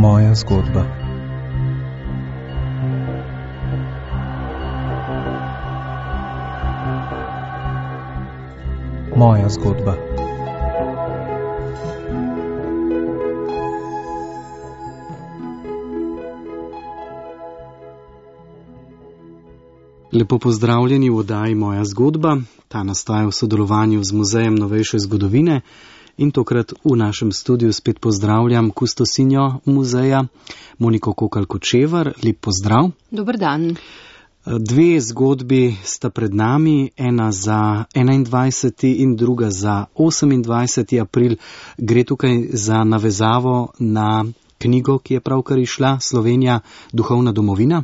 Moja zgodba. Moja zgodba. Lepo pozdravljeni v oddaji Moja zgodba. Ta nastaja v sodelovanju z Muzejem novejše zgodovine in tokrat v našem studiu spet pozdravljam kustosinjo muzeja Moniko Kokalj-Kočevar. Lep pozdrav. Dober dan. Dve zgodbi sta pred nami, ena za 21. in druga za 28. april. Gre tukaj za navezavo na knjigo, ki je pravkar izšla, Slovenija, duhovna domovina.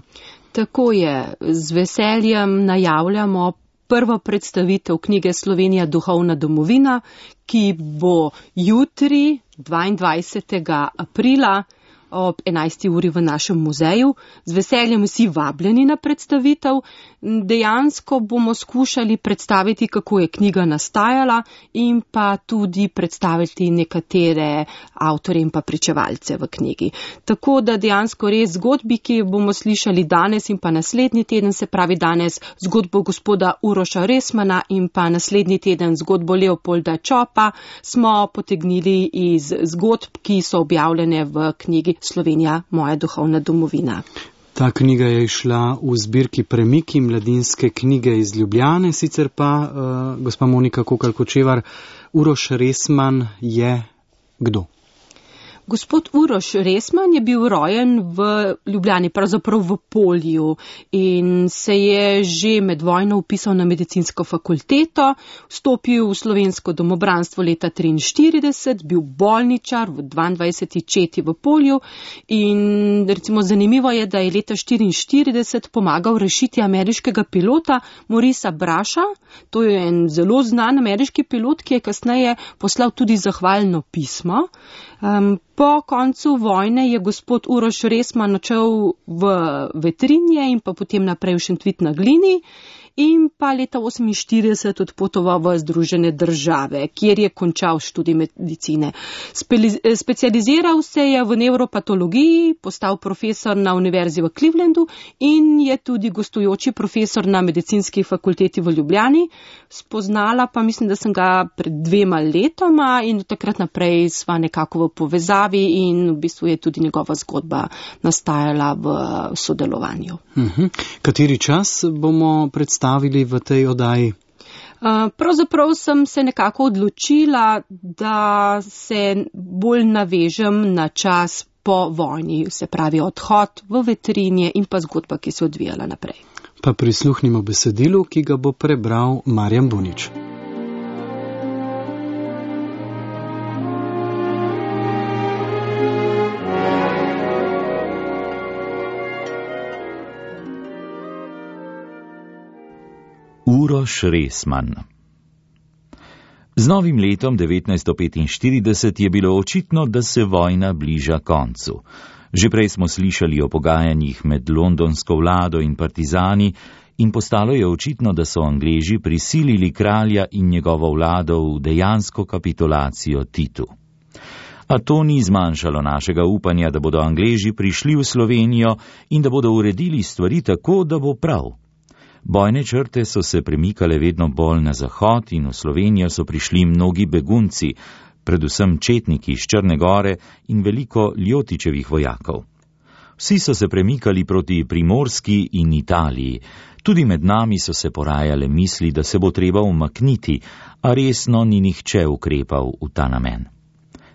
Tako je, z veseljem najavljamo prvo predstavitev knjige Slovenija, duhovna domovina, ki bo jutri, 22. aprila, ob 11. uri v našem muzeju. Z veseljem vsi vabljeni na predstavitev. Dejansko bomo skušali predstaviti, kako je knjiga nastajala in pa tudi predstaviti nekatere avtorje in pa pričevalce v knjigi. Tako da dejansko res zgodbi, ki bomo slišali danes in pa naslednji teden, se pravi danes zgodbo gospoda Uroša Resmana in pa naslednji teden zgodbo Leopolda Čopa, smo potegnili iz zgodb, ki so objavljene v knjigi Slovenija, moja duhovna domovina. Ta knjiga je išla v zbirki Premiki mladinske knjige iz Ljubljane, sicer pa, gospa Monika Kokalj-Kočevar, Uroš Resman je kdo? Gospod Uroš Resman je bil rojen v Ljubljani, pravzaprav v Polju, in se je že med vojno vpisal na medicinsko fakulteto, vstopil v slovensko domobranstvo leta 1943, bil bolničar v 22. četi v Polju in recimo zanimivo je, da je leta 1944 pomagal rešiti ameriškega pilota Morisa Brasha. To je en zelo znan ameriški pilot, ki je kasneje poslal tudi zahvalno pismo. Po koncu vojne je gospod Uroš Resman odšel v Vetrinje in pa potem naprej v Šentvid na Glini in pa leta 1948 odpotoval v Združene države, kjer je končal študij medicine. Specializiral se je v nevropatologiji, postal profesor na univerzi v Clevelandu in je tudi gostujoči profesor na medicinski fakulteti v Ljubljani. Spoznala pa mislim, da sem ga pred 2 letoma in od takrat naprej sva nekako v povezavi in v bistvu je tudi njegova zgodba nastajala v sodelovanju. Kateri čas bomo predstavili v tej oddaji? Pravzaprav sem se nekako odločila, da se bolj navežem na čas po vojni, se pravi odhod v Vetrinje in pa zgodba, ki se odvijala naprej. Pa prisluhnimo besedilu, ki ga bo prebral Marjan Bunič. Uroš Resman. Z novim letom 1945 je bilo očitno, da se vojna bliža koncu. Že prej smo slišali o pogajanjih med londonsko vlado in partizani in postalo je očitno, da so Angleži prisilili kralja in njegovo vlado v dejansko kapitulacijo Titu. A to ni zmanjšalo našega upanja, da bodo Angleži prišli v Slovenijo in da bodo uredili stvari tako, da bo prav. Bojne črte so se premikale vedno bolj na zahod in v Slovenijo so prišli mnogi begunci, predvsem četniki iz Črne gore in veliko Ljotičevih vojakov. Vsi so se premikali proti Primorski in Italiji. Tudi med nami so se porajale misli, da se bo treba umakniti, a resno ni nihče ukrepal v ta namen.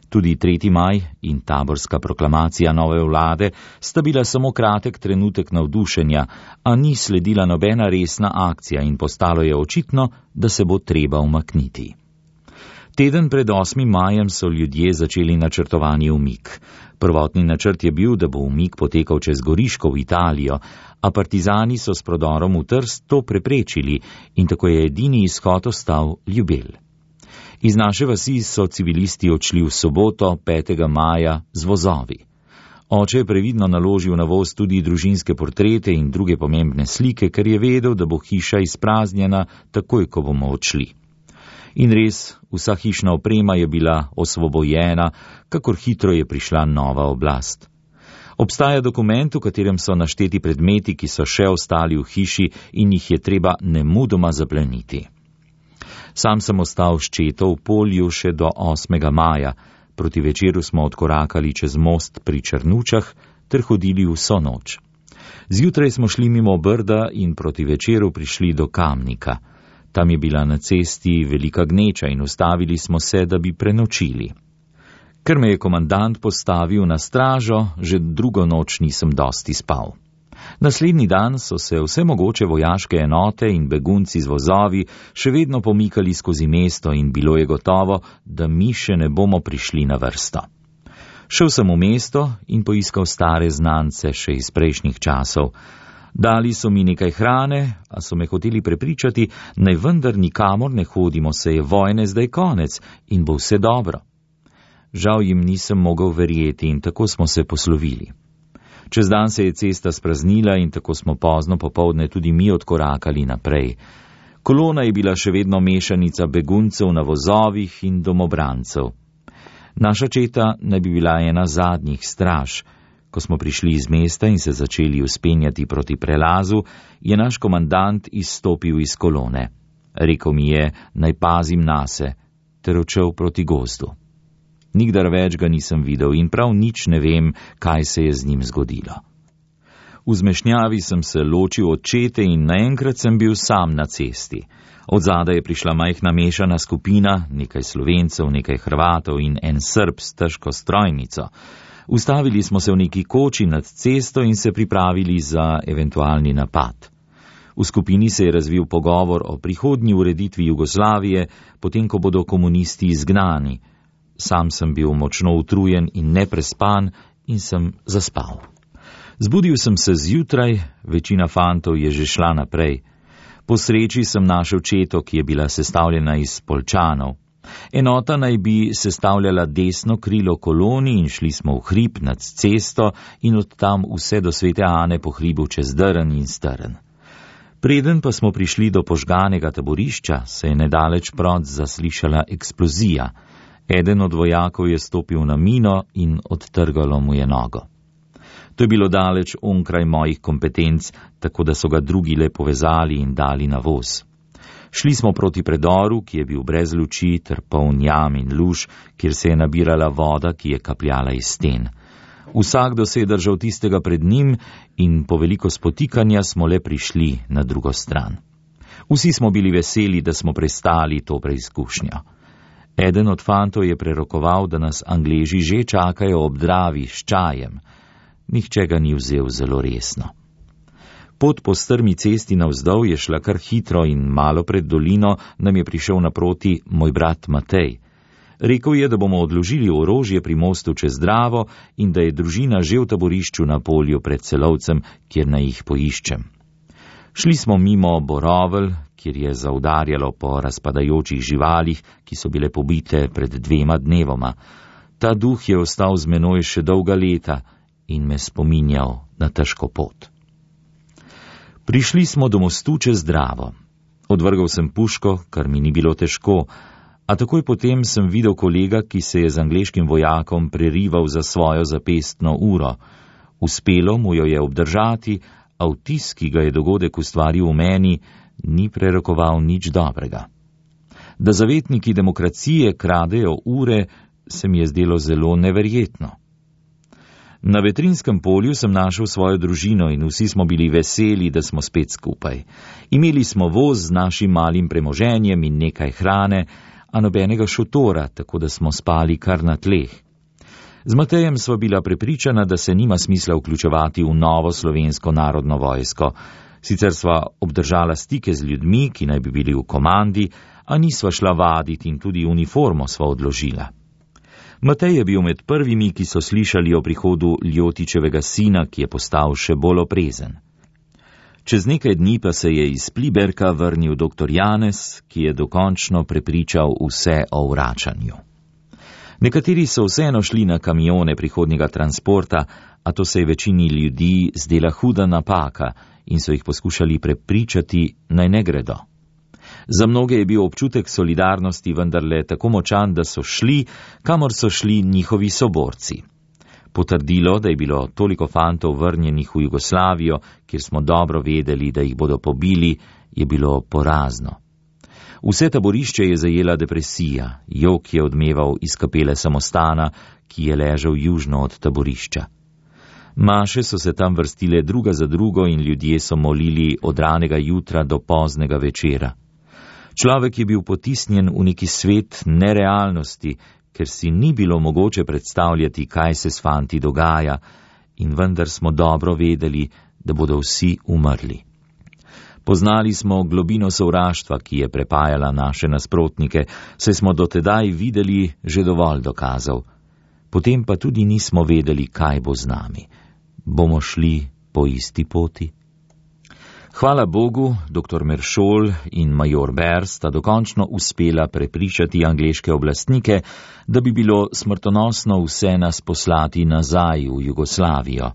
Tudi 3. maj in taborska proklamacija nove vlade sta bila samo kratek trenutek navdušenja, a ni sledila nobena resna akcija in postalo je očitno, da se bo treba umakniti. Teden pred 8. majem so ljudje začeli načrtovani umik. Prvotni načrt je bil, da bo umik potekal čez Goriško v Italijo, a partizani so s prodorom v Trst to preprečili in tako je edini izhod ostal Ljubelj. Iz naše vasi so civilisti odšli v soboto, 5. maja, z vozovi. Oče je previdno naložil na voz tudi družinske portrete in druge pomembne slike, ker je vedel, da bo hiša izpraznjena takoj, ko bomo odšli. In res, vsa hišna oprema je bila osvobojena, kakor hitro je prišla nova oblast. Obstaja dokument, v katerem so našteti predmeti, ki so še ostali v hiši in jih je treba nemudoma zapleniti. Sam sem ostal s četo v Polju še do 8. maja, proti večeru smo odkorakali čez most pri Črnučah ter hodili vso noč. Zjutraj smo šli mimo Brda in proti večeru prišli do Kamnika. Tam je bila na cesti velika gneča in ustavili smo se, da bi prenočili. Ker me je komandant postavil na stražo, že drugo noč nisem dosti spal. Naslednji dan so se vse mogoče vojaške enote in begunci z vozovi še vedno pomikali skozi mesto in bilo je gotovo, da mi še ne bomo prišli na vrsto. Šel sem v mesto in poiskal stare znance še iz prejšnjih časov. Dali so mi nekaj hrane, a so me hoteli prepričati, naj vendar nikamor ne hodimo, se je vojne zdaj konec in bo vse dobro. Žal jim nisem mogel verjeti in tako smo se poslovili. Čez dan se je cesta spraznila in tako smo pozno popoldne tudi mi odkorakali naprej. Kolona je bila še vedno mešanica beguncev na vozovih in domobrancev. Naša četa naj bi bila ena zadnjih straž. Ko smo prišli iz mesta in se začeli vzpenjati proti prelazu, je naš komandant izstopil iz kolone. Rekel mi je, naj pazim nase, ter odšel proti gozdu. Nikdar več ga nisem videl in prav nič ne vem, kaj se je z njim zgodilo. V zmešnjavi sem se ločil od čete in naenkrat sem bil sam na cesti. Od zadaj je prišla majhna mešana skupina, nekaj Slovencev, nekaj Hrvatov in en Srb s težko strojnico. Ustavili smo se v neki koči nad cesto in se pripravili za eventualni napad. V skupini se je razvil pogovor o prihodnji ureditvi Jugoslavije, potem ko bodo komunisti izgnani. Sam sem bil močno utrujen in neprespan in sem zaspal. Zbudil sem se zjutraj, večina fantov je že šla naprej. Po sreči sem našel četo, ki je bila sestavljena iz Poljčanov. Enota naj bi sestavljala desno krilo koloni in šli smo v hrib nad cesto in od tam vse do Svete Ane po hribu čez drn in strn. Preden pa smo prišli do požganega taborišča, se je nedaleč prot zaslišala eksplozija. Eden od vojakov je stopil na mino in odtrgalo mu je nogo. To je bilo daleč onkraj mojih kompetenc, tako da so ga drugi le povezali in dali na voz. Šli smo proti predoru, ki je bil brez luči ter poln jam in luž, kjer se je nabirala voda, ki je kapljala iz sten. Vsakdo se je držal tistega pred njim in po veliko spotikanja smo le prišli na drugo stran. Vsi smo bili veseli, da smo prestali to preizkušnjo. Eden od fantov je prerokoval, da nas Angleži že čakajo ob Dravi s čajem. Nihče ga ni vzel zelo resno. Pot po strmi cesti navzdol je šla kar hitro in malo pred dolino nam je prišel naproti moj brat Matej. Rekel je, da bomo odložili orožje pri mostu čez Dravo in da je družina že v taborišču na Polju pred Celovcem, kjer naj jih poiščem. Šli smo mimo Borovelj, kjer je zaudarjalo po razpadajočih živalih, ki so bile pobite pred 2 dnevoma. Ta duh je ostal z menoj še dolga leta in me spominjal na težko pot. Prišli smo do mostu čez Dravo. Odvrgal sem puško, kar mi ni bilo težko, a takoj potem sem videl kolega, ki se je z angleškim vojakom prerival za svojo zapestno uro. Uspelo mu jo je obdržati, a vtis, ki ga je dogodek ustvaril v meni, ni prerokoval nič dobrega. Da zavetniki demokracije kradejo ure, se mi je zdelo zelo neverjetno. Na Vetrinskem polju sem našel svojo družino in vsi smo bili veseli, da smo spet skupaj. Imeli smo voz z našim malim premoženjem in nekaj hrane, a nobenega šotora, tako da smo spali kar na tleh. Z Matejem sva bila prepričana, da se nima smisla vključevati v novo slovensko narodno vojsko. Sicer sva obdržala stike z ljudmi, ki naj bi bili v komandi, a nisva šla vaditi in tudi uniformo sva odložila. Matej je bil med prvimi, ki so slišali o prihodu Ljotičevega sina, ki je postal še bolj oprezen. Čez nekaj dni pa se je iz Pliberka vrnil dr. Janez, ki je dokončno prepričal vse o vračanju. Nekateri so vseeno šli na kamione prihodnjega transporta, a to se je večini ljudi zdela huda napaka in so jih poskušali prepričati, naj ne gredo. Za mnoge je bil občutek solidarnosti vendarle tako močan, da so šli, kamor so šli njihovi soborci. Potrdilo, da je bilo toliko fantov vrnjenih v Jugoslavijo, kjer smo dobro vedeli, da jih bodo pobili, je bilo porazno. Vse taborišče je zajela depresija, jok je odmeval iz kapele samostana, ki je ležal južno od taborišča. Maše so se tam vrstile druga za drugo in ljudje so molili od ranega jutra do poznega večera. Človek je bil potisnjen v neki svet nerealnosti, ker si ni bilo mogoče predstavljati, kaj se s fanti dogaja, in vendar smo dobro vedeli, da bodo vsi umrli. Poznali smo globino sovraštva, ki je prepajala naše nasprotnike, saj smo dotedaj videli že dovolj dokazov. Potem pa tudi nismo vedeli, kaj bo z nami. Bomo šli po isti poti? Hvala Bogu, dr. Meršol in major Ber sta dokončno uspela prepričati angleške oblastnike, da bi bilo smrtonosno vse nas poslati nazaj v Jugoslavijo.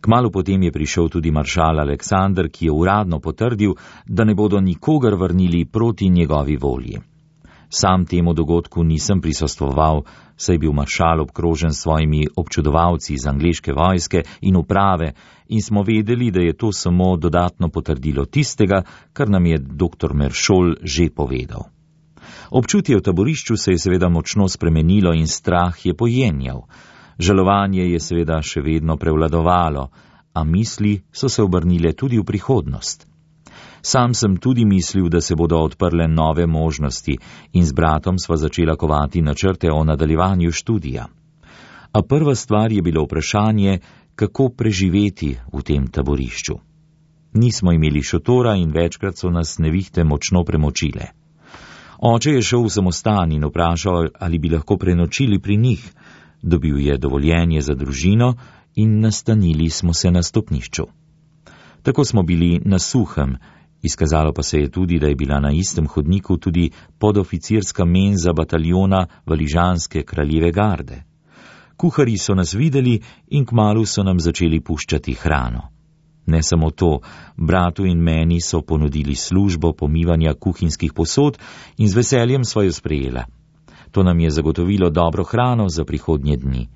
Kmalu potem je prišel tudi maršal Aleksander, ki je uradno potrdil, da ne bodo nikogar vrnili proti njegovi volji. Sam temu dogodku nisem prisostvoval, saj je bil maršal obkrožen s svojimi občudovalci iz angleške vojske in uprave in smo vedeli, da je to samo dodatno potrdilo tistega, kar nam je dr. Meršol že povedal. Občutje v taborišču se je seveda močno spremenilo in strah je pojenjal. Žalovanje je seveda še vedno prevladovalo, a misli so se obrnile tudi v prihodnost. Sam sem tudi mislil, da se bodo odprle nove možnosti in z bratom sva začela kovati načrte o nadaljevanju študija. A prva stvar je bilo vprašanje, kako preživeti v tem taborišču. Nismo imeli šotora in večkrat so nas nevihte močno premočile. Oče je šel v samostan in vprašal, ali bi lahko prenočili pri njih. Dobil je dovoljenje za družino in nastanili smo se na stopnišču. Tako smo bili na suhem, izkazalo pa se je tudi, da je bila na istem hodniku tudi podoficirska menza bataljona Valižanske kraljeve garde. Kuharji so nas videli in kmalu so nam začeli puščati hrano. Ne samo to, bratu in meni so ponudili službo pomivanja kuhinjskih posod in z veseljem sva jo sprejela. To nam je zagotovilo dobro hrano za prihodnje dni.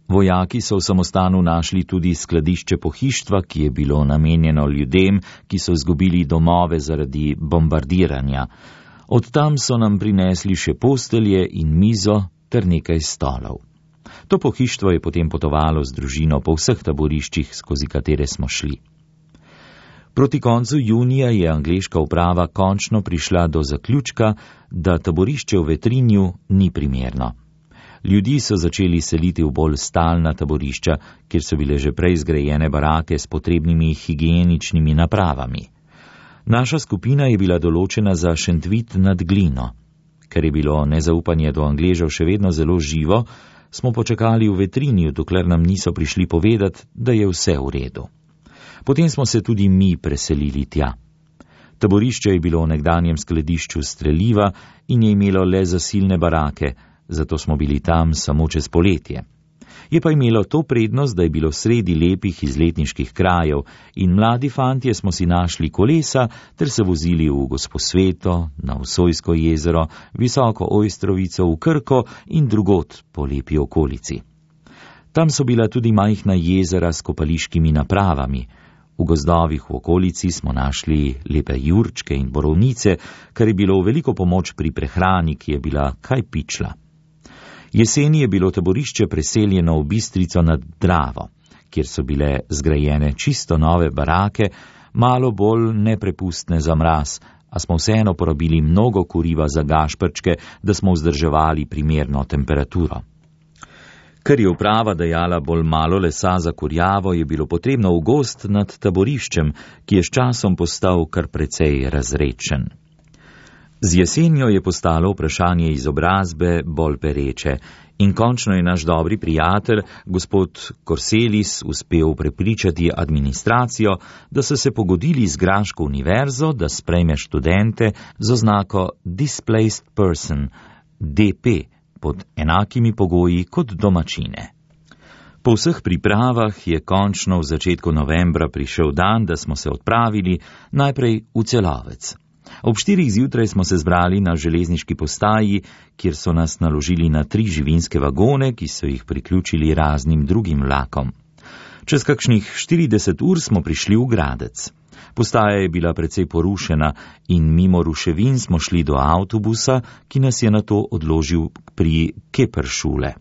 Vojaki so v samostanu našli tudi skladišče pohištva, ki je bilo namenjeno ljudem, ki so izgubili domove zaradi bombardiranja. Od tam so nam prinesli še postelje in mizo ter nekaj stolov. To pohištvo je potem potovalo z družino po vseh taboriščih, skozi katere smo šli. Proti koncu junija je angleška uprava končno prišla do zaključka, da taborišče v Vetrinju ni primerno. Ljudi so začeli seliti v bolj stalna taborišča, kjer so bile že prej zgrajene barake s potrebnimi higieničnimi napravami. Naša skupina je bila določena za Šentvit nad Glino. Ker je bilo nezaupanje do Angležev še vedno zelo živo, smo počakali v Vetrinju, dokler nam niso prišli povedati, da je vse v redu. Potem smo se tudi mi preselili tja. Taborišče je bilo v nekdanjem skladišču streliva in je imelo le zasilne barake, zato smo bili tam samo čez poletje. Je pa imelo to prednost, da je bilo sredi lepih izletniških krajev in mladi fantje smo si našli kolesa ter se vozili v Gosposveto, na Vsojsko jezero, Visoko Ojstrovico, v Krko in drugot po lepi okolici. Tam so bila tudi majhna jezera s kopališkimi napravami. V gozdovih v okolici smo našli lepe jurčke in borovnice, kar je bilo v veliko pomoč pri prehrani, ki je bila kaj pičla. Jeseni je bilo taborišče preseljeno v Bistrico nad Dravo, kjer so bile zgrajene čisto nove barake, malo bolj neprepustne za mraz, a smo vseeno porabili mnogo kuriva za gašprčke, da smo vzdrževali primerno temperaturo. Ker je uprava dajala bolj malo lesa za kurjavo, je bilo potrebno v gozd nad taboriščem, ki je s časom postal kar precej razredčen. Z jesenjo je postalo vprašanje izobrazbe bolj pereče in končno je naš dobri prijatelj, gospod Korselis, uspel prepričati administracijo, da so se pogodili z Graško univerzo, da sprejme študente z oznako Displaced Person, DP, pod enakimi pogoji kot domačine. Po vseh pripravah je končno v začetku novembra prišel dan, da smo se odpravili najprej v Celovec. Ob 4 zjutraj smo se zbrali na železniški postaji, kjer so nas naložili na 3 živinske vagone, ki so jih priključili raznim drugim vlakom. Čez kakšnih 40 ur smo prišli v Gradec. Postaja je bila precej porušena in mimo ruševin smo šli do avtobusa, ki nas je nato odložil pri Keperšule.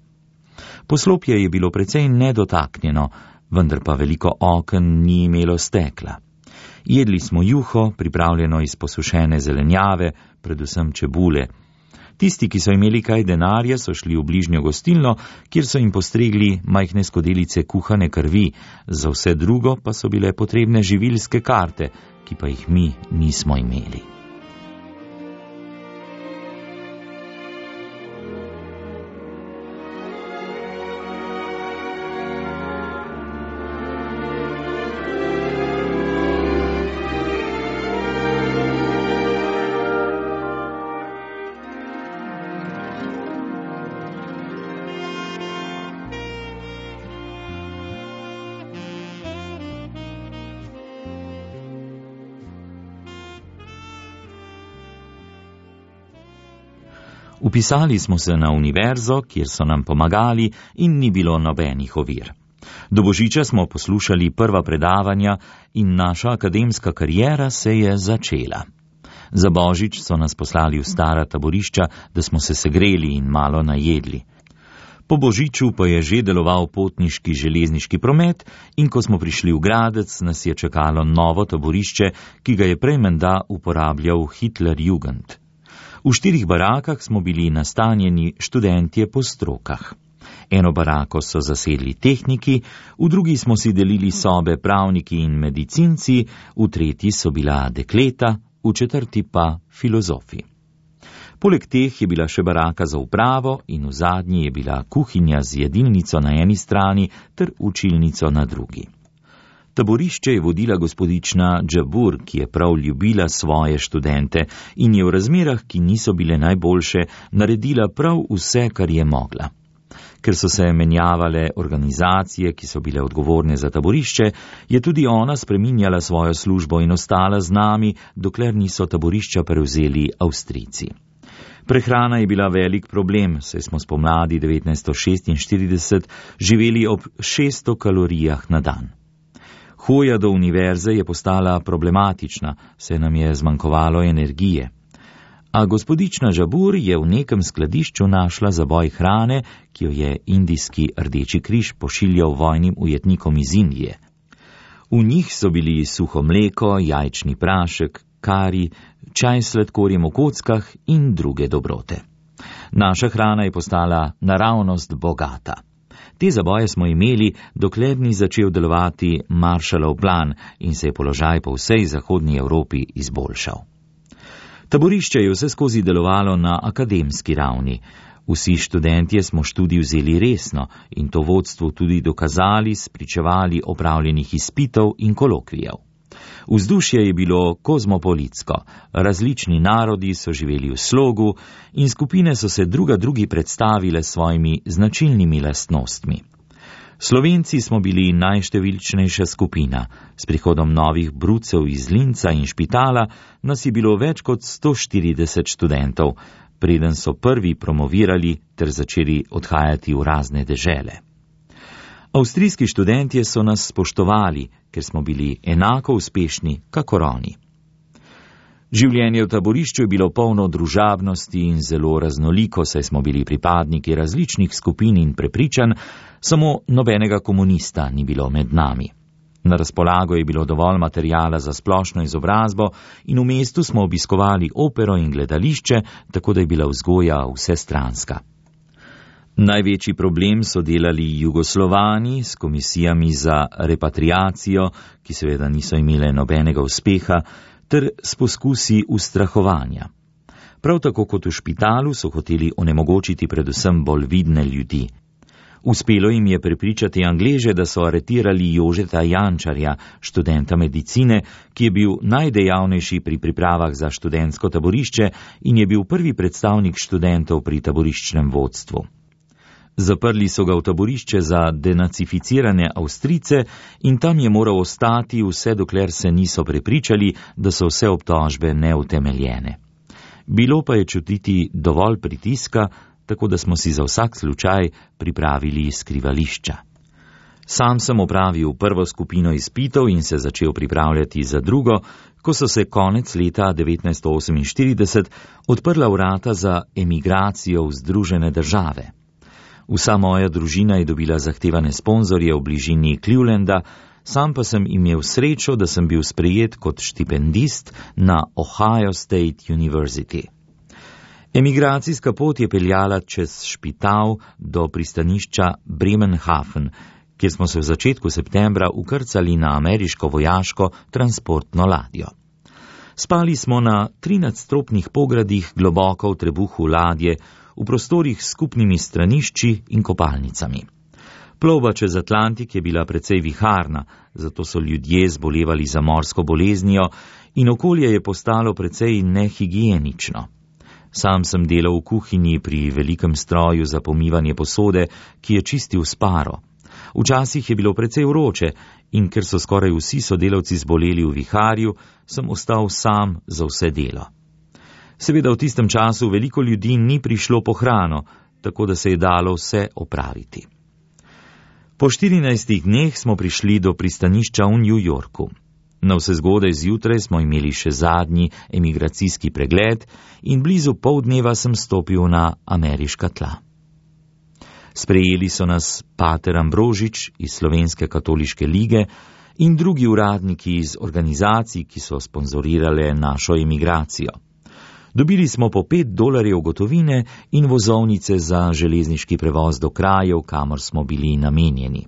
Poslopje je bilo precej nedotaknjeno, vendar pa veliko oken ni imelo stekla. Jedli smo juho, pripravljeno iz posušene zelenjave, predvsem čebule. Tisti, ki so imeli kaj denarja, so šli v bližnjo gostilno, kjer so jim postregli majhne skodelice kuhane krvi, za vse drugo pa so bile potrebne živilske karte, ki pa jih mi nismo imeli. Upisali smo se na univerzo, kjer so nam pomagali in ni bilo nobenih ovir. Do božiča smo poslušali prva predavanja in naša akademska kariera se je začela. Za božič so nas poslali v stara taborišča, da smo se segreli in malo najedli. Po božiču pa je že deloval potniški železniški promet in ko smo prišli v Gradec, nas je čakalo novo taborišče, ki ga je prej menda uporabljal Hitlerjugend. V 4 barakah smo bili nastanjeni študentje po strokah. Eno barako so zasedli tehniki, v drugi smo si delili sobe pravniki in medicinci, v tretji so bila dekleta, v 4 pa filozofi. Poleg teh je bila še baraka za upravo in v zadnji je bila kuhinja z jedilnico na eni strani ter učilnico na drugi. Taborišče je vodila gospodična Džabur, ki je prav ljubila svoje študente in je v razmerah, ki niso bile najboljše, naredila prav vse, kar je mogla. Ker so se menjavale organizacije, ki so bile odgovorne za taborišče, je tudi ona spreminjala svojo službo in ostala z nami, dokler niso taborišča prevzeli Avstrijci. Prehrana je bila velik problem, saj smo spomladi 1946 živeli ob 600 kalorijah na dan. Hoja do univerze je postala problematična, saj nam je zmanjkovalo energije. A gospodična Džabur je v nekem skladišču našla zaboj hrane, ki jo je indijski Rdeči križ pošiljal vojnim ujetnikom iz Indije. V njih so bili suho mleko, jajčni prašek, kari, čaj s sladkorjem v kockah in druge dobrote. Naša hrana je postala naravnost bogata. Te zaboje smo imeli, dokler ni začel delovati Marshallov plan in se je položaj po vsej zahodnji Evropi izboljšal. Taborišče je vse skozi delovalo na akademski ravni. Vsi študentje smo študij vzeli resno in to vodstvu tudi dokazali s pričevali opravljenih izpitov in kolokvijev. Vzdušje je bilo kozmopolitsko, različni narodi so živeli v slogu in skupine so se drugi predstavile s svojimi značilnimi lastnostmi. Slovenci smo bili najštevilčnejša skupina. S prihodom novih brucev iz Linca in Špitala nas je bilo več kot 140 študentov, preden so prvi promovirali ter začeli odhajati v razne dežele. Avstrijski študentje so nas spoštovali, ker smo bili enako uspešni, kakor oni. Življenje v taborišču je bilo polno družabnosti in zelo raznoliko, saj smo bili pripadniki različnih skupin in prepričanj, samo nobenega komunista ni bilo med nami. Na razpolago je bilo dovolj materijala za splošno izobrazbo in v mestu smo obiskovali opero in gledališče, tako da je bila vzgoja vsestranska. Največji problem so delali Jugoslovani s komisijami za repatriacijo, ki seveda niso imele nobenega uspeha, ter s poskusi ustrahovanja. Prav tako kot v Špitalu so hoteli onemogočiti predvsem bolj vidne ljudi. Uspelo jim je prepričati Angleže, da so aretirali Jožeta Jančarja, študenta medicine, ki je bil najdejavnejši pri pripravah za študentsko taborišče in je bil prvi predstavnik študentov pri taboriščnem vodstvu. Zaprli so ga v taborišče za denacificirane Avstrijce in tam je moral ostati, vse dokler se niso prepričali, da so vse obtožbe neutemeljene. Bilo pa je čutiti dovolj pritiska, tako da smo si za vsak slučaj pripravili skrivališča. Sam sem opravil prvo skupino izpitov in se začel pripravljati za drugo, ko so se konec leta 1948 odprla vrata za emigracijo v Združene države. Vsa moja družina je dobila zahtevane sponzorje v bližini Clevelanda, sam pa sem imel srečo, da sem bil sprejet kot štipendist na Ohio State University. Emigracijska pot je peljala čez Špital do pristanišča Bremenhaven, kjer smo se v začetku septembra ukrcali na ameriško vojaško transportno ladjo. Spali smo na 13-stropnih pogradih globoko v trebuhu ladje, v prostorih s skupnimi stranišči in kopalnicami. Plovba čez Atlantik je bila precej viharna, zato so ljudje zbolevali za morsko boleznijo in okolje je postalo precej nehigienično. Sam sem delal v kuhinji pri velikem stroju za pomivanje posode, ki je čistil s paro. Včasih je bilo precej vroče in ker so skoraj vsi sodelavci zboleli v viharju, sem ostal sam za vse delo. Seveda v tistem času veliko ljudi ni prišlo po hrano, tako da se je dalo vse opraviti. Po 14 dneh smo prišli do pristanišča v New Yorku. Navsezgodaj zjutraj smo imeli še zadnji emigracijski pregled in blizu poldneva sem stopil na ameriška tla. Sprejeli so nas pater Ambrožič iz Slovenske katoliške lige in drugi uradniki iz organizacij, ki so sponzorirale našo emigracijo. Dobili smo po $5 gotovine in vozovnice za železniški prevoz do krajev, kamor smo bili namenjeni.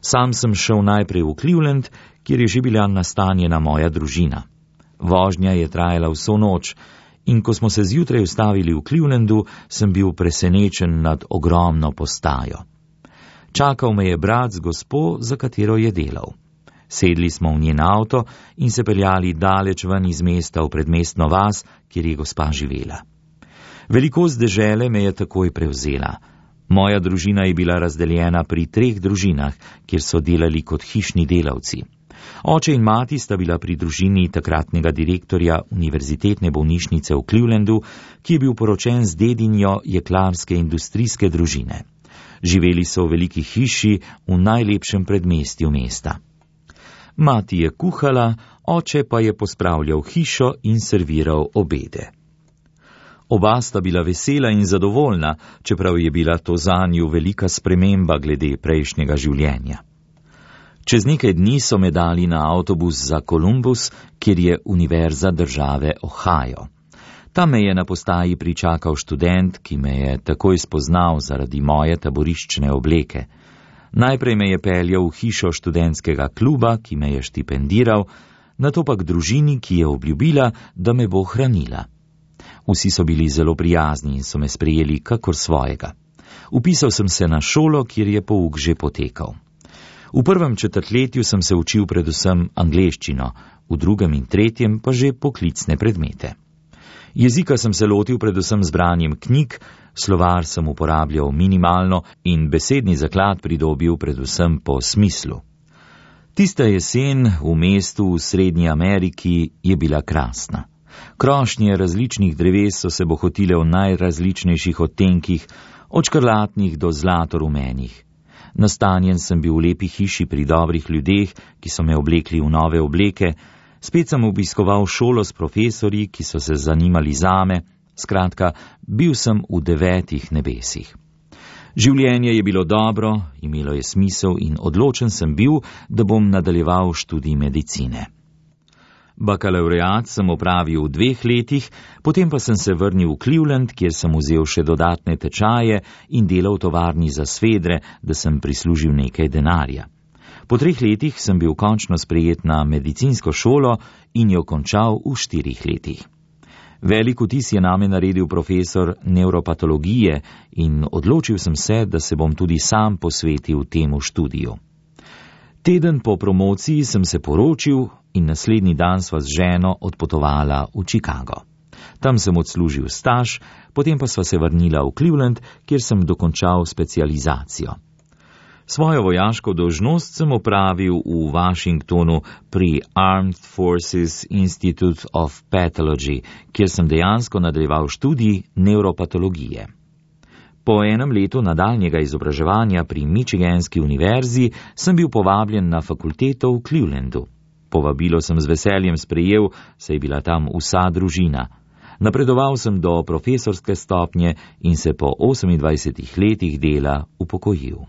Sam sem šel najprej v Cleveland, kjer je že bila nastanjena moja družina. Vožnja je trajala vso noč in ko smo se zjutraj ustavili v Clevelandu, sem bil presenečen nad ogromno postajo. Čakal me je brat z gospo, za katero je delal. Sedli smo v njen avto in se peljali daleč ven iz mesta v predmestno vas, kjer je gospa živela. Velikost dežele me je takoj prevzela. Moja družina je bila razdeljena pri 3 družinah, kjer so delali kot hišni delavci. Oče in mati sta bila pri družini takratnega direktorja Univerzitetne bolnišnice v Clevelandu, ki je bil poročen z dedinjo jeklarske industrijske družine. Živeli so v veliki hiši v najlepšem predmestju mesta. Mati je kuhala, oče pa je pospravljal hišo in serviral obede. Oba sta bila vesela in zadovoljna, čeprav je bila to zanju velika sprememba glede prejšnjega življenja. Čez nekaj dni so me dali na avtobus za Columbus, kjer je univerza države Ohio. Tam me je na postaji pričakal študent, ki me je takoj spoznal zaradi moje taboriščne obleke. Najprej me je peljal v hišo študentskega kluba, ki me je štipendiral, nato pa k družini, ki je obljubila, da me bo hranila. Vsi so bili zelo prijazni in so me sprejeli kakor svojega. Vpisal sem se na šolo, kjer je pouk že potekal. V prvem četrtletju sem se učil predvsem angleščino, v drugem in tretjem pa že poklicne predmete. Jezika sem se lotil predvsem z branjem knjig, slovar sem uporabljal minimalno in besedni zaklad pridobil predvsem po smislu. Tista jesen v mestu v Srednji Ameriki je bila krasna. Krošnje različnih dreves so se bohotile v najrazličnejših odtenkih, od škrlatnih do zlatorumenih. Nastanjen sem bil v lepi hiši pri dobrih ljudeh, ki so me oblekli v nove obleke, spet sem obiskoval šolo s profesorji, ki so se zanimali zame, skratka, bil sem v 9 nebesih. Življenje je bilo dobro, imelo je smisel in odločen sem bil, da bom nadaljeval študij medicine. Bakalaureat sem opravil v 2 letih, potem pa sem se vrnil v Cleveland, kjer sem vzel še dodatne tečaje in delal v tovarni za svedre, da sem prislužil nekaj denarja. Po 3 letih sem bil končno sprejet na medicinsko šolo in jo končal v 4 letih. Velik vtis je name naredil profesor nevropatologije in odločil sem se, da se bom tudi sam posvetil temu študiju. Teden po promociji sem se poročil in naslednji dan sva z ženo odpotovala v Chicago. Tam sem odslužil staž, potem pa sva se vrnila v Cleveland, kjer sem dokončal specializacijo. Svojo vojaško dolžnost sem opravil v Washingtonu pri Armed Forces Institute of Pathology, kjer sem dejansko nadaljeval študij nevropatologije. Po enem letu nadaljnjega izobraževanja pri Michiganski univerzi sem bil povabljen na fakulteto v Clevelandu. Povabilo sem z veseljem sprejel, saj je bila tam vsa družina. Napredoval sem do profesorske stopnje in se po 28 letih dela upokojil.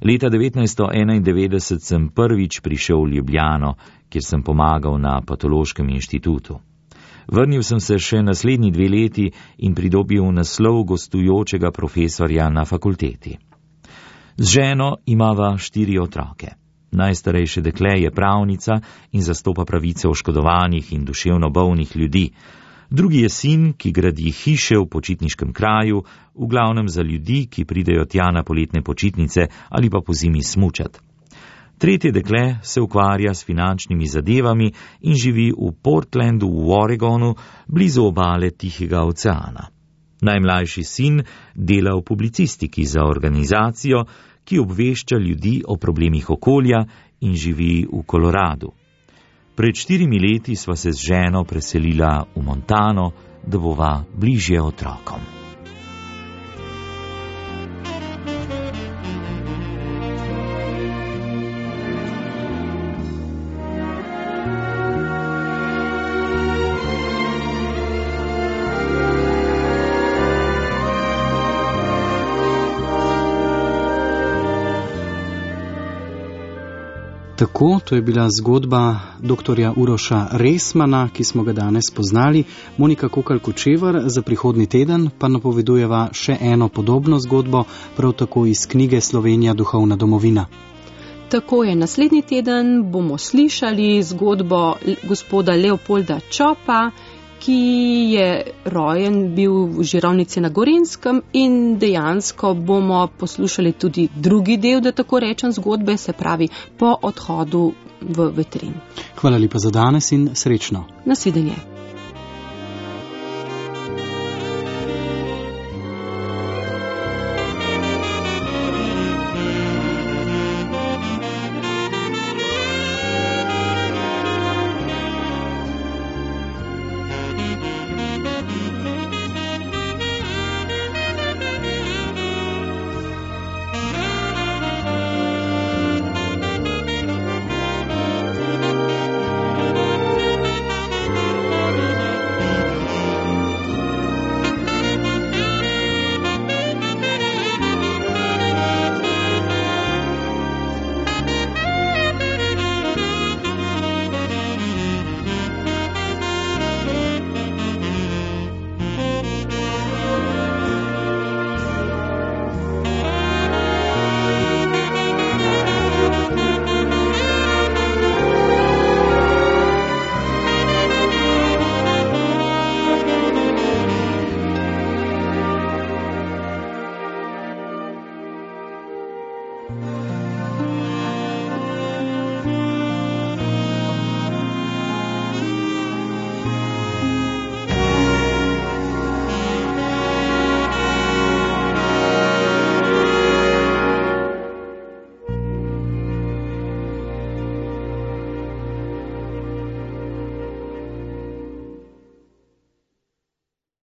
Leta 1991 sem prvič prišel v Ljubljano, kjer sem pomagal na patološkem inštitutu. Vrnil sem se še naslednji 2 leti in pridobil naslov gostujočega profesorja na fakulteti. Z ženo imava 4 otroke. Najstarejše dekle je pravnica in zastopa pravice oškodovanih in duševno bolnih ljudi. Drugi je sin, ki gradi hiše v počitniškem kraju, v glavnem za ljudi, ki pridejo tja na poletne počitnice ali pa pozimi smučat. Tretje dekle se ukvarja s finančnimi zadevami in živi v Portlandu v Oregonu, blizu obale Tihega oceana. Najmlajši sin dela v publicistiki za organizacijo, ki obvešča ljudi o problemih okolja in živi v Koloradu. Pred 4 leti sva se z ženo preselila v Montano, da bova bližje otrokom. Tako, to je bila zgodba dr. Uroša Resmana, ki smo ga danes poznali. Monika Kokalj-Kočevar, za prihodnji teden pa napovedujeva še eno podobno zgodbo, prav tako iz knjige Slovenija duhovna domovina. Tako je, naslednji teden bomo slišali zgodbo gospoda Leopolda Čopa, ki je rojen bil v Žirovnici na Gorenjskem, in dejansko bomo poslušali tudi drugi del, da tako rečem, zgodbe, se pravi po odhodu v Vetrin. Hvala lepa za danes in srečno. Nasvidenje.